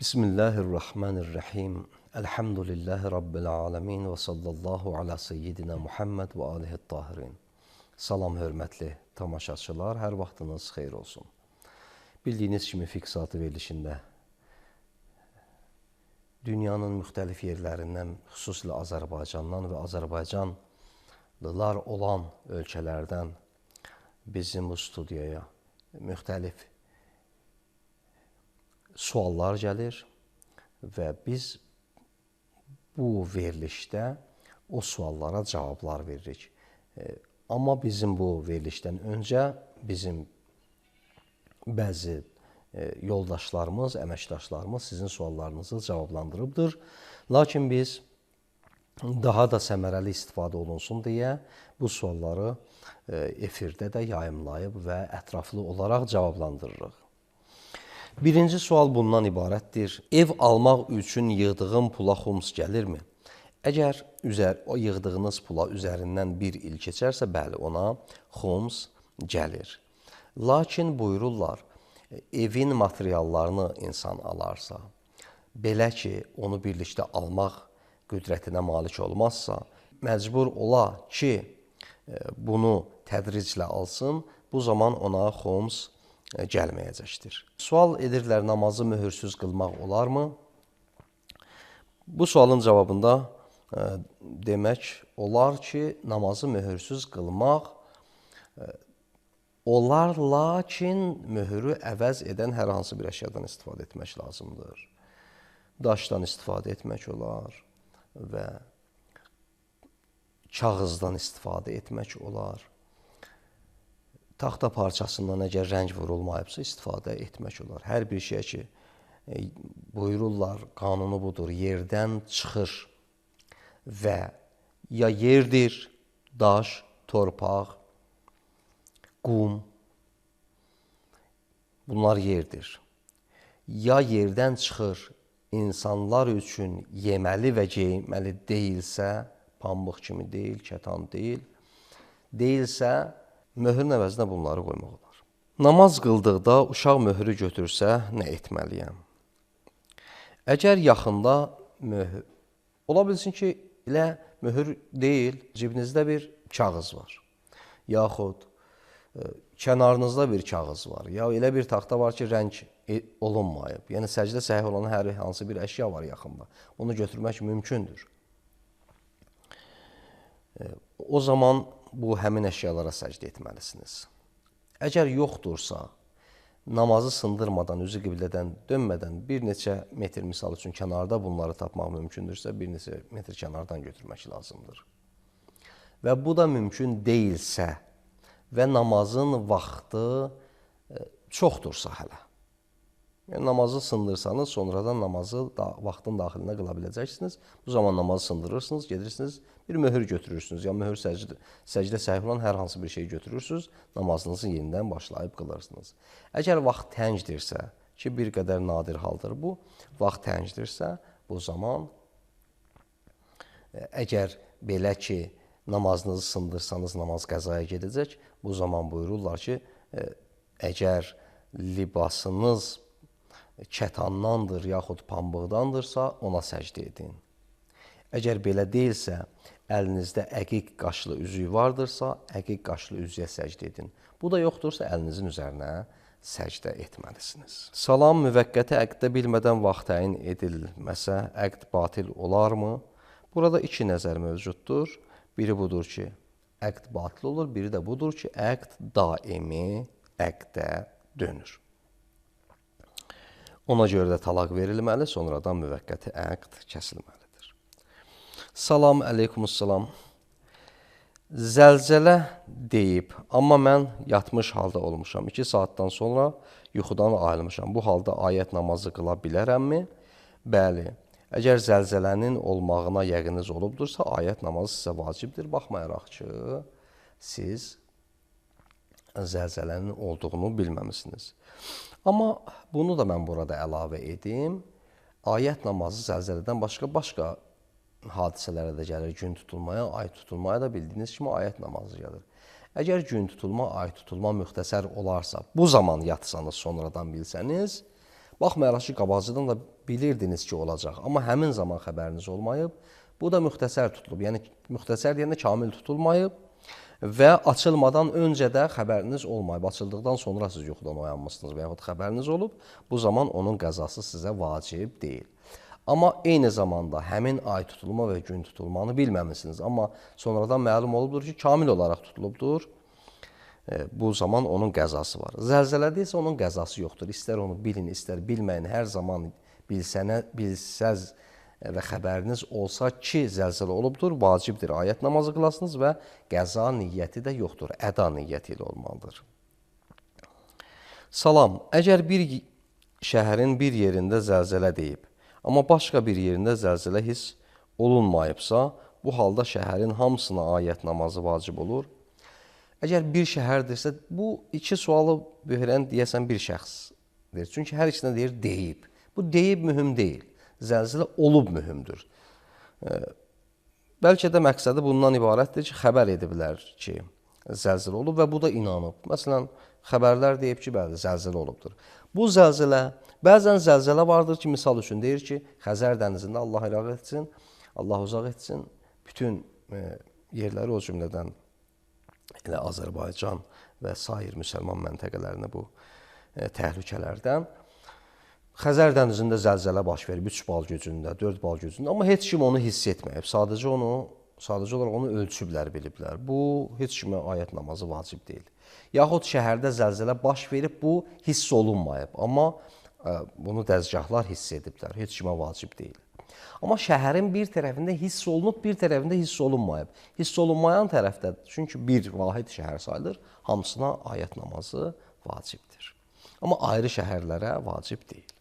Bismillahirrahmanirrahim. Elhamdülillahi Rabbil alemin və sallallahu ala seyyidina Muhammed və alihi tahirin. Salam hörmətli tamaşaçılar, hər vaxtınız xeyir olsun. Bildiyiniz kimi fiqh saatı verilişində dünyanın müxtəlif yerlərindən, xüsusilə Azərbaycandan və Azərbaycanlılar olan ölkələrdən bizim bu studiyaya müxtəlif suallar gəlir və biz bu verilişdə o suallara cavablar veririk. Amma bizim bu verilişdən öncə bizim bəzi yoldaşlarımız, əməkdaşlarımız sizin suallarınızı cavablandırıbdır. Lakin biz daha da səmərəli istifadə olunsun deyə bu sualları efirdə də yayımlayıb və ətraflı olaraq cavablandırırıq. Birinci sual bundan ibarətdir. Ev almaq üçün yığdığım pula xums gəlirmi? Əgər o yığdığınız pula üzərindən bir il keçərsə, bəli, ona xums gəlir. Lakin buyururlar, evin materiallarını insan alarsa, belə ki, onu birlikdə almaq qüdrətinə malik olmazsa, məcbur ola ki, bunu tədriclə alsın, bu zaman ona xums gəlməyəcəkdir. Sual edirlər, namazı möhürsüz qılmaq olarmı? Bu sualın cavabında demək olar ki, namazı möhürsüz qılmaq olar, lakin möhürü əvəz edən hər hansı bir əşyadan istifadə etmək lazımdır. Daşdan istifadə etmək olar və kağızdan istifadə etmək olar. Taxta parçasından əgər rəng vurulmayıbsa, istifadə etmək olar. Hər bir şey ki, buyururlar, qanunu budur, yerdən çıxır və ya yerdir, daş, torpaq, qum, bunlar yerdir. Ya yerdən çıxır, insanlar üçün yeməli və geyməli deyilsə, pambıq kimi deyil, kətan deyil, deyilsə, möhürün əvəzinə bunları qoymaq olar. Namaz qıldıqda uşaq möhürü götürsə, nə etməliyəm? Əgər yaxında möhür, ola bilsin ki, elə möhür deyil, cibinizdə bir kağız var, yaxud kənarınızda bir kağız var, ya elə bir taxta var ki, rəng olunmayıb. Yəni, səcdə səhih olan hər hansı bir əşya var yaxında. Onu götürmək mümkündür. O zaman bu həmin əşyalara səcdə etməlisiniz. Əgər yoxdursa, namazı sındırmadan, üzü qiblədən dönmədən bir neçə metr misal üçün kənarda bunları tapmaq mümkündürsə, bir neçə metr kənardan götürmək lazımdır. Və bu da mümkün deyilsə və namazın vaxtı çoxdursa hələ. Yəni, namazı sındırsanız, sonradan namazı vaxtın daxilinə qıla biləcəksiniz. Bu zaman namazı sındırırsınız, gedirsiniz, bir möhür götürürsünüz. Ya möhür səcdə səhih olan hər hansı bir şey götürürsünüz, namazınızı yenidən başlayıb qılırsınız. Əgər vaxt təngdirsə, ki, bir qədər nadir haldır bu, vaxt təngdirsə, bu zaman əgər belə ki, namazınızı sındırsanız, namaz qəzaya gedəcək, bu zaman buyururlar ki, əgər libasınız kətandandır, yaxud pambıqdandırsa, ona səcdə edin. Əgər belə deyilsə, əlinizdə əqiq qaşlı üzüyü vardırsa, əqiq qaşlı üzüyə səcdə edin. Bu da yoxdursa, əlinizin üzərinə səcdə etməlisiniz. Salam, müvəqqəti əqdə bilmədən vaxt təyin edilməsə, əqd batil olarmı? Burada iki nəzər mövcuddur. Biri budur ki, əqd batil olur, biri də budur ki, əqd daimi əqdə dönür. Ona görə də talaq verilməli, sonradan müvəqqəti əqd kəsilməlidir. Salam, əleykumussalam. Zəlzələ deyib, amma mən yatmış halda olmuşam. 2 saatdan sonra yuxudan ayılmışam. Bu halda ayət namazı qıla bilərəmmi? Bəli. Əgər zəlzələnin olmağına yəqiniz olubdursa, ayət namazı sizə vacibdir. Baxmayaraq ki, siz zəlzələnin olduğunu bilməmisiniz. Amma bunu da mən burada əlavə edim. Ayət namazı zəlzələdən başqa hadisələrə də gəlir. Gün tutulmaya, ay tutulmaya da bildiyiniz kimi ayət namazı gəlir. Əgər gün tutulma, ay tutulma müxtəsər olarsa, bu zaman yatsanız, sonradan bilsəniz, baxmayaraq ki, qabaqcadan da bilirdiniz ki, olacaq. Amma həmin zaman xəbəriniz olmayıb, bu da müxtəsər tutulub. Yəni, müxtəsər deyəndə kamil tutulmayıb və açılmadan öncə də xəbəriniz olmayıb. Açıldıqdan sonra siz yuxudan oyanmışsınız və yaxud xəbəriniz olub, bu zaman onun qəzası sizə vacib deyil. Amma eyni zamanda həmin ay tutulma və gün tutulmanı bilməmisiniz. Amma sonradan məlum olubdur ki, kamil olaraq tutulubdur. Bu zaman onun qəzası var. Zəlzələdə isə onun qəzası yoxdur. İstər onu bilin, istər bilməyin, hər zaman bilsəz və xəbəriniz olsa ki, zəlzələ olubdur, vacibdir. Ayət namazı qılasınız və qəza niyyəti də yoxdur. Əda niyyəti ilə olmalıdır. Salam. Əgər bir şəhərin bir yerində zəlzələ deyib, amma başqa bir yerində zəlzələ hiss olunmayıbsa, bu halda şəhərin hamısına ayət namazı vacib olur. Əgər bir şəhərdirsə, bu iki sualı verən deyəsən bir şəxsdir. Çünki hər ikisində deyir deyib. Bu deyib mühüm deyil. Zəlzələ olub mühümdür. Bəlkə də məqsədi bundan ibarətdir ki, xəbər ediblər ki, zəlzələ olub və bu da inanıb. Məsələn, xəbərlər deyib ki, bəli, zəlzələ olubdur. Bu zəlzələ, bəzən zəlzələ vardır ki, misal üçün deyir ki, Xəzər dənizində Allah iraq etsin, Allah uzaq etsin, bütün yerləri o cümlədən elə Azərbaycan və sair müsəlman məntəqələrinə bu təhlükələrdən. Xəzər dənizində zəlzələ baş verib 3 bal gücündə, 4 bal gücündə, amma heç kim onu hiss etməyib. Sadəcə olaraq onu ölçüblər, biliblər. Bu, heç kimə ayət namazı vacib deyil. Yaxud şəhərdə zəlzələ baş verib, bu hiss olunmayıb. Amma bunu dəzgahlar hiss ediblər. Heç kimə vacib deyil. Amma şəhərin bir tərəfində hiss olunub, bir tərəfində hiss olunmayıb. Hiss olunmayan tərəfdə, çünki bir vahid şəhər sayılır, hamısına ayət namazı vacibdir. Amma ayrı şəhərlərə vacib deyil.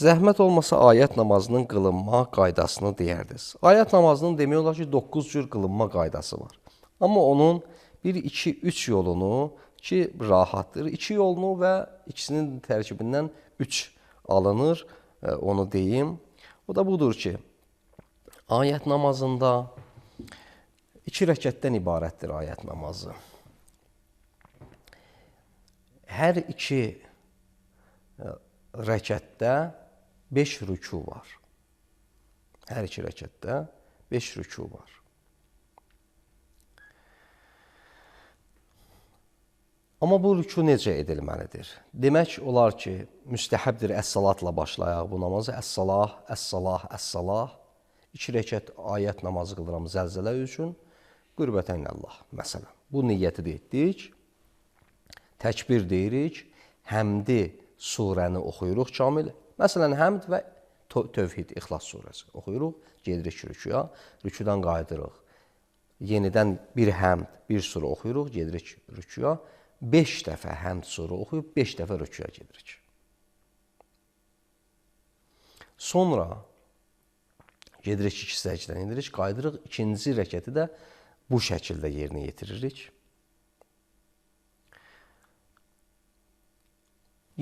Zəhmət olmasa ayət namazının qılınma qaydasını deyərdiniz. Ayət namazının demək olar ki, 9 cür qılınma qaydası var. Amma onun 1, 2, 3 yolunu ki, rahatdır. 2 yolunu və ikisinin tərkibindən 3 alınır, onu deyim. O da budur ki, ayət namazında 2 rəkətdən ibarətdir ayət namazı. Hər 2 rəkətdə 5 rükû var. Hər 2 rəkətdə 5 rükû var. Amma bu rükû necə edilməlidir? Demək olar ki, müstəhəbdir əs-salatla başlayaq bu namazı. Əs-salah, əs-salah, əs-salah. 2 rəkət ayət namazı qılıram zəlzələ üçün. Qürbətən Allah, məsələn. Bu niyyəti də etdik. Təkbir deyirik. Həmdi surəni oxuyuruq kamil. Məsələn, həmd və tövhid, İxlas surəsi oxuyuruq, gedirik rüküya, rüküdən qayıdırıq. Yenidən bir həmd, bir surə oxuyuruq, gedirik rüküya. 5 dəfə həmd surə oxuyub, 5 dəfə rüküya gedirik. Sonra gedirik 2 səcdən indirik, qayıdırıq. 2-ci rəkəti də bu şəkildə yerinə yetiririk.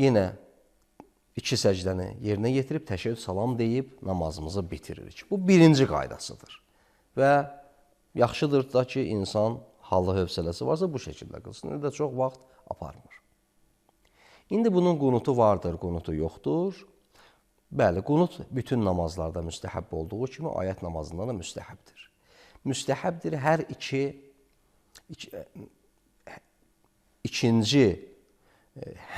Yenə 2 səcdəni yerinə yetirib, təşəkkür salam deyib, namazımızı bitiririk. Bu birinci qaydasıdır. Və yaxşıdır da ki, insan hallı hövsələsi varsa bu şəkildə qılsın. İndi də çox vaxt aparmır. İndi bunun qunutu vardır, qunutu yoxdur. Bəli, qunut bütün namazlarda müstəhəb olduğu kimi ayət namazında da müstəhəbdir. Müstəhəbdir hər ikinci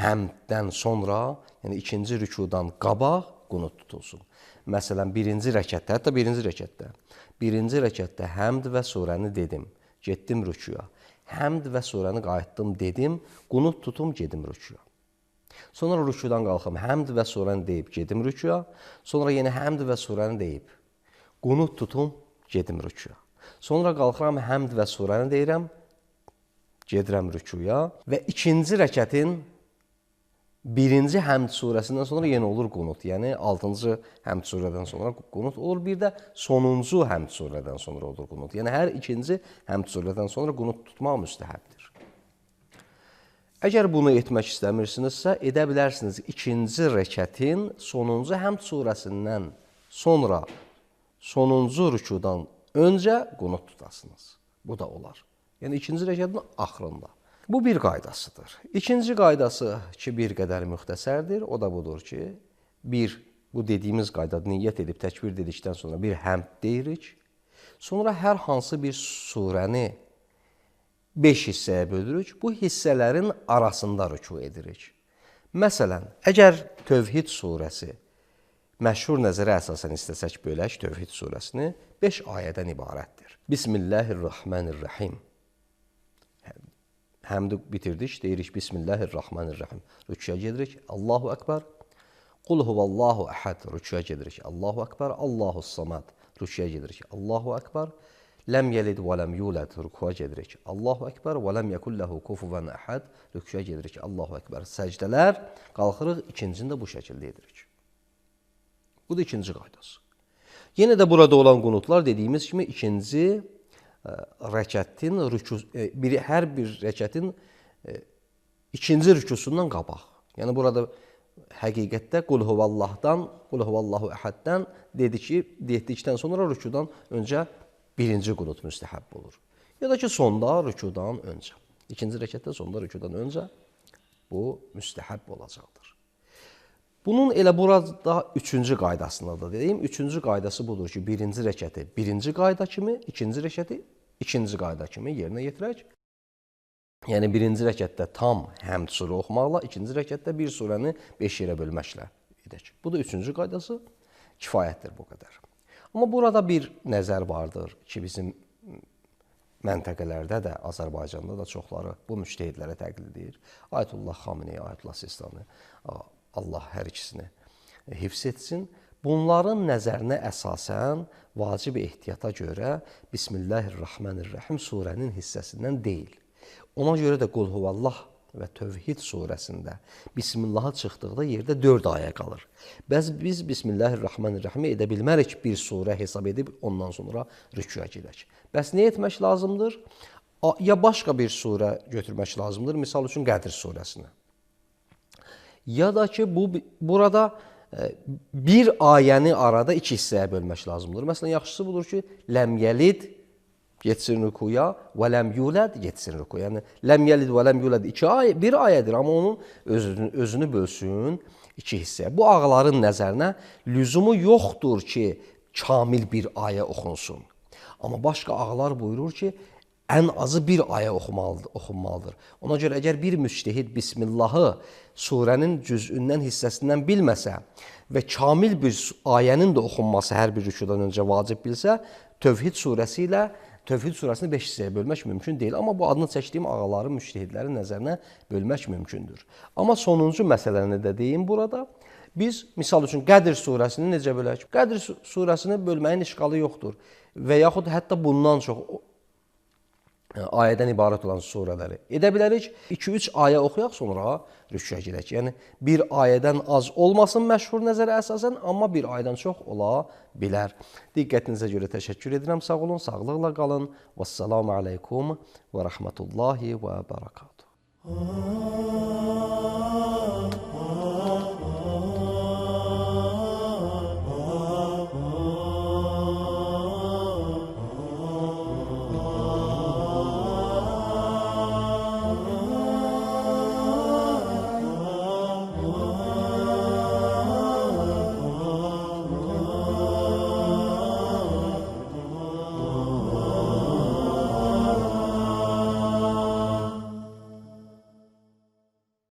həmddən sonra, yəni ikinci rükudan qabaq qunut tutulsun. Məsələn, birinci rəkətdə həmd və surəni dedim, getdim rükuya. Həmd və surəni qayıtdım, dedim, qunut tutum, gedim rükuya. Sonra rükudan qalxım, həmd və surəni deyib, gedim rükuya. Sonra yenə həmd və surəni deyib, qunut tutum, gedim rükuya. Sonra qalxıram, həmd və surəni deyirəm, gedirəm rükuya. Və ikinci rəkətin birinci həmd surəsindən sonra yenə olur qunut. Yəni, 6-cı həmd surədən sonra qunut olur. Bir də sonuncu həmd surədən sonra olur qunut. Yəni, hər ikinci həmd surədən sonra qunut tutmaq müstəhəbdir. Əgər bunu etmək istəmirsinizsə, edə bilərsiniz ikinci rəkətin sonuncu həmd surəsindən sonra sonuncu rükudan öncə qunut tutasınız. Bu da olar. Yəni, ikinci rəkətin axırında. Bu bir qaydasıdır. İkinci qaydası ki, bir qədər müxtəsərdir. O da budur ki, bu dediyimiz qaydada niyyət edib təkbir dedikdən sonra bir həmd deyirik. Sonra hər hansı bir surəni 5 hissəyə bölürük. Bu hissələrin arasında rüku edirik. Məsələn, əgər Tövhid surəsi məşhur nəzərə əsasən istəsək bölək Tövhid surəsini 5 ayədən ibarətdir. Bismillahirrahmanirrahim. Həmdi bitirdik, deyirik Bismillahirrahmanirrahim. Rükuya gedirik, Allahu Ekber. Qul huvallahu əhəd, rükuya gedirik, Allahu Ekber. Allahu samad, rükuya gedirik, Allahu Ekber. Ləm yelid və ləm yulad, rükuya gedirik, Allahu Ekber. Və ləm yəkulləhu kufuvan əhəd, rükuya gedirik, Allahu Ekber. Səcdələr, qalxırıq, ikincini də bu şəkildə edirik. Bu da ikinci qaydası. Yenə də burada olan qunutlar dediyimiz kimi ikinci rəkətin, hər bir rəkətin ikinci rükusundan qabaq. Yəni, burada həqiqətdə Qul huvallahdan, Qul huvallahu əhəddən dedikdən sonra rükudan öncə birinci qunut müstəhəb olur. Ya da ki, sonda rükudan öncə. İkinci rəkətdə sonda rükudan öncə bu müstəhəb olacaqdır. Bunun elə burada üçüncü qaydasını da deyim. Üçüncü qaydası budur ki, birinci rəkəti birinci qayda kimi, ikinci rəkəti ikinci qayda kimi yerinə yetirək. Yəni, birinci rəkətdə tam həmd surə oxumaqla, ikinci rəkətdə bir surəni 5 yerə bölməklə edək. Bu da üçüncü qaydası, kifayətdir bu qədər. Amma burada bir nəzər vardır ki, bizim məntəqələrdə də, Azərbaycanda da çoxları bu müştəhidlərə təqlid edir. Ayətullah Xameneyi, Ayətullah Sistani, Allah hər ikisini hifz etsin. Bunların nəzərinə əsasən vacib ehtiyata görə Bismillahirrahmanirrahim surənin hissəsindən deyil. Ona görə də Qul huvallah və Tövhid surəsində Bismillah'a çıxdıqda yerdə 4 ayə qalır. Biz Bismillahirrahmanirrahim edə bilmərik bir surə hesab edib ondan sonra rükuya gedək. Bəs nə etmək lazımdır? Ya başqa bir surə götürmək lazımdır, misal üçün Qədr surəsini. Ya da ki, burada bir ayəni arada 2 hissəyə bölmək lazımdır. Məsələn, yaxşısı budur ki, ləm yəlid getsin rükuya və ləm yulad getsin rükuya. Yəni, ləm yəlid və ləm yulad bir ayədir, amma onun özünü bölsün 2 hissəyə. Bu ağaların nəzərinə lüzumu yoxdur ki, kamil bir ayə oxunsun. Amma başqa ağalar buyurur ki, ən azı bir ayə oxunmalıdır. Ona görə əgər bir müctəhid Bismillahı surənin cüzündən, hissəsindən bilməsə və kamil bir ayənin də oxunması hər bir rükudan öncə vacib bilsə, Tövhid surəsini 5 hissəyə bölmək mümkün deyil. Amma bu adını çəkdiyim ağaların, müctəhidlərin nəzərinə bölmək mümkündür. Amma sonuncu məsələni də deyim burada. Biz, misal üçün, Qədr surəsini necə bölək? Qədr surəsini bölməyin işğalı yoxdur. Və yaxud hətta bundan çox ayədən ibarət olan surələri edə bilərik. 2-3 ayə oxuyaq, sonra rükuya gedək. Yəni, bir ayədən az olmasın məşhur nəzərə əsasən, amma bir ayədən çox ola bilər. Diqqətinizə görə təşəkkür edirəm. Sağ olun, sağlıqla qalın. Vəssalamu aleykum və rəhmətullahi və bərəkatuhu.